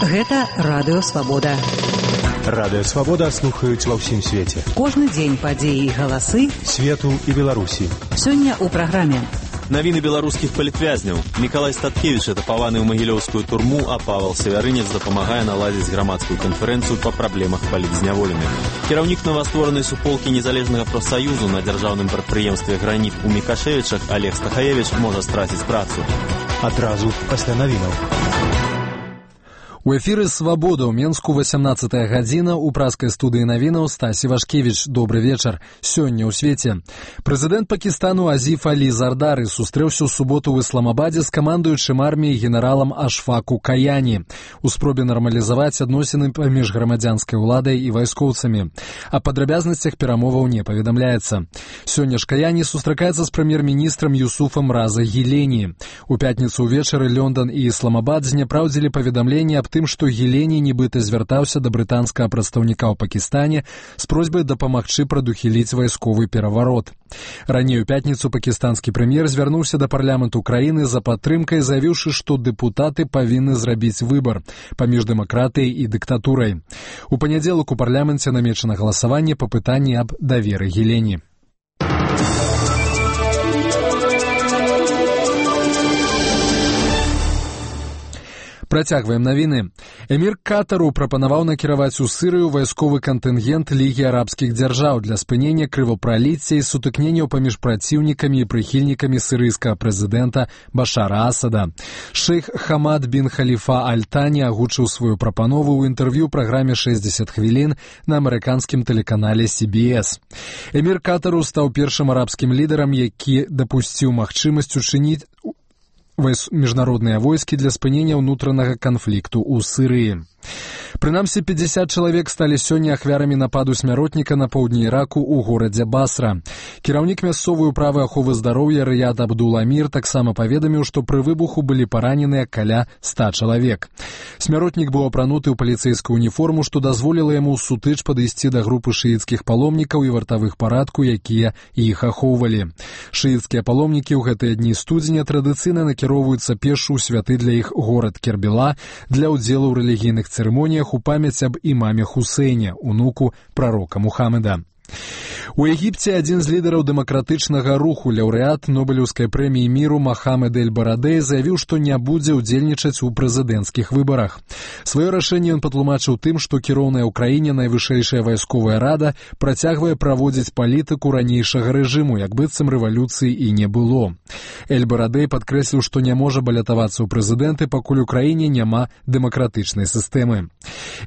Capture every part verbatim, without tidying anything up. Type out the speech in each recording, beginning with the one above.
Гэта Радыё Свабода. Радыё Свабода слухаюць ва ўсім свеце. Кожны дзень падзеі і галасы свету і Беларусі. Сёння ў праграме. Навіны беларускіх палітвязняў. Мікалай Статкевіч атапаваны ў магілёўскую турму, а Павел Савярынец дапамагае наладзіць грамадскую канферэнцыю па праблемах палітзняволеных. Кіраўнік новастворанай суполкі незалежнага прафсаюзу на дзяржаўным прадпрыемстве «Граніт» у Мікашевічах Олег Стахаевич можа страціць працу. Адразу пасля навінаў. У эфіры «Свабода» ў Менску васямнаццатая гадзіна, у праскай студыі навінаў Стасі Вашкевіч. Добры вечар. Сёння ў свеце. Прэзідэнт Пакістану Азіф Алі Зардары сустрэўся ў суботу ў Ісламабадзе з камандуючым арміяй генералам Ашфаку Каяні у спробе нармалізаваць адносіны паміж грамадзянскай уладай і вайскоўцамі. О падрабязнасцях перамоваў не паведамляецца. Сёння ж Каяні сустракаецца з прэм'ер-міністрам Юсуфам Раза Гілені. У пятніцу ўвечары Лондон і Ісламабад зняпраўдзілі паведамленне аб тым, што Гілені нібыта звяртаўся да брытанскага прадстаўніка ў Пакістане з просьбай дапамагчы прадухіліць вайсковы пераварот. Раней у пятніцу пакістанскі прэм'ер звярнуўся да парламенту краіны за падтрымкай, заявіўшы, што дэпутаты павінны зрабіць выбар паміж дэмакратыяй і дыктатурай. У панядзелак у парламенце намечана галасаванне па пытанні аб даверы Гілені. Працягваем навіны. Эмір Катару прапанаваў накіраваць у Сырыю вайсковы кантынгент Лігі арабскіх дзяржаў для спынення крывапраліцця і сутыкненняў паміж праціўнікамі і прыхільнікамі сырыйскага прэзідэнта Башара Асада. Шэйх Хамад бін Халіфа Аль-Тані агучыў сваю прапанову ў інтэрв'ю праграме шэсцьдзесят хвілін на амерыканскім тэлеканале Си Би Эс. Эмір Катару стаў першым арабскім лідарам, які дапусціў магчымасць учыніць міжнародныя войскі для спынення ўнутранага канфлікту ў Сырыі. Прынамсі, пятьдесят чалавек сталі сёння ахвярамі нападу смяротніка на поўдні Іраку ў горадзе Басра. Кіраўнік мясцовай управы аховы здароўя Рыяд Абдул-Амір таксама паведаміў, што пры выбуху былі параненыя каля ста чалавек. Смяротнік быў апрануты ў паліцэйскую уніформу, што дазволіла яму ў сутыч падысці да групы шыіцкіх паломнікаў і вартавых парадку, якія іх ахоўвалі. Шыіцкія паломнікі ў гэтыя дні студзеня традыцыйна накіроўваюцца пешшу ў святы для іх горад Кербела для ўдзелу ў рэлігійных цырымоніях у памяць аб імаме Хусейне, унуку прарока Мухаммеда. У Егіпце адзін з лідараў дэмакратычнага руху, лаўрэат Нобелеўскай прэміі міру Мохамед Эль-Барадэй заявіў, што не будзе ўдзельнічаць у прэзідэнцкіх выбарах. Сваё рашэнне ён патлумачыў тым, што кіроўная ў краіне найвышэйшая вайсковая рада працягвае праводзіць палітыку ранейшага рэжыму, як быццам рэвалюцыі і не было. Эль-Барадэй падкрэсліў, што не можа балятавацца ў прэзідэнты, пакуль у краіне няма дэмакратычнай сістэмы.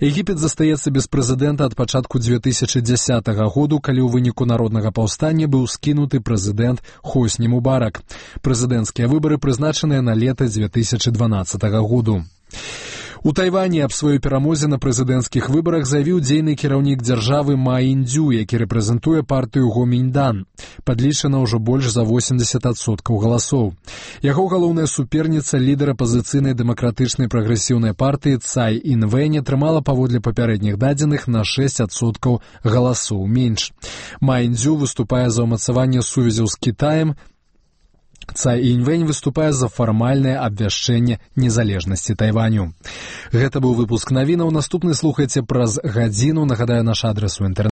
Егіпет застаецца без прэзідэнта ад пачатку дзве тысячы дзясятага году, калі ў выніку народнага паўстання быў скінуты прэзідэнт Хосні Мубарак. Прэзідэнцкія выбары прызначаныя на лета дзве тысячы дванаццатага году. У Тайвані аб сваёй перамозе на прэзідэнцкіх выбарах заявіў дзейны кіраўнік дзяржавы Ма Індзю, які рэпрэзентуе партыю Гоміньдан. Падлічана ўжо больш за восемьдесят адсоткаў галасоў. Яго галоўная суперніца, лідар апазіцыйнай дэмакратычнай прагрэсіўнай партыі Цай Інвэнь, атрымала паводле папярэдніх дадзеных на шэсць адсоткаў галасоў менш. Ма Індзю выступае за ўмацаванне сувязяў з Кітаем. Цай Інвэнь выступае за фармальнае абвяшчэнне незалежнасці Тайваню. Гэта быў выпуск навінаў. Наступны слухайце праз гадзіну. Нагадаю, наш адрас у інтэрнэце.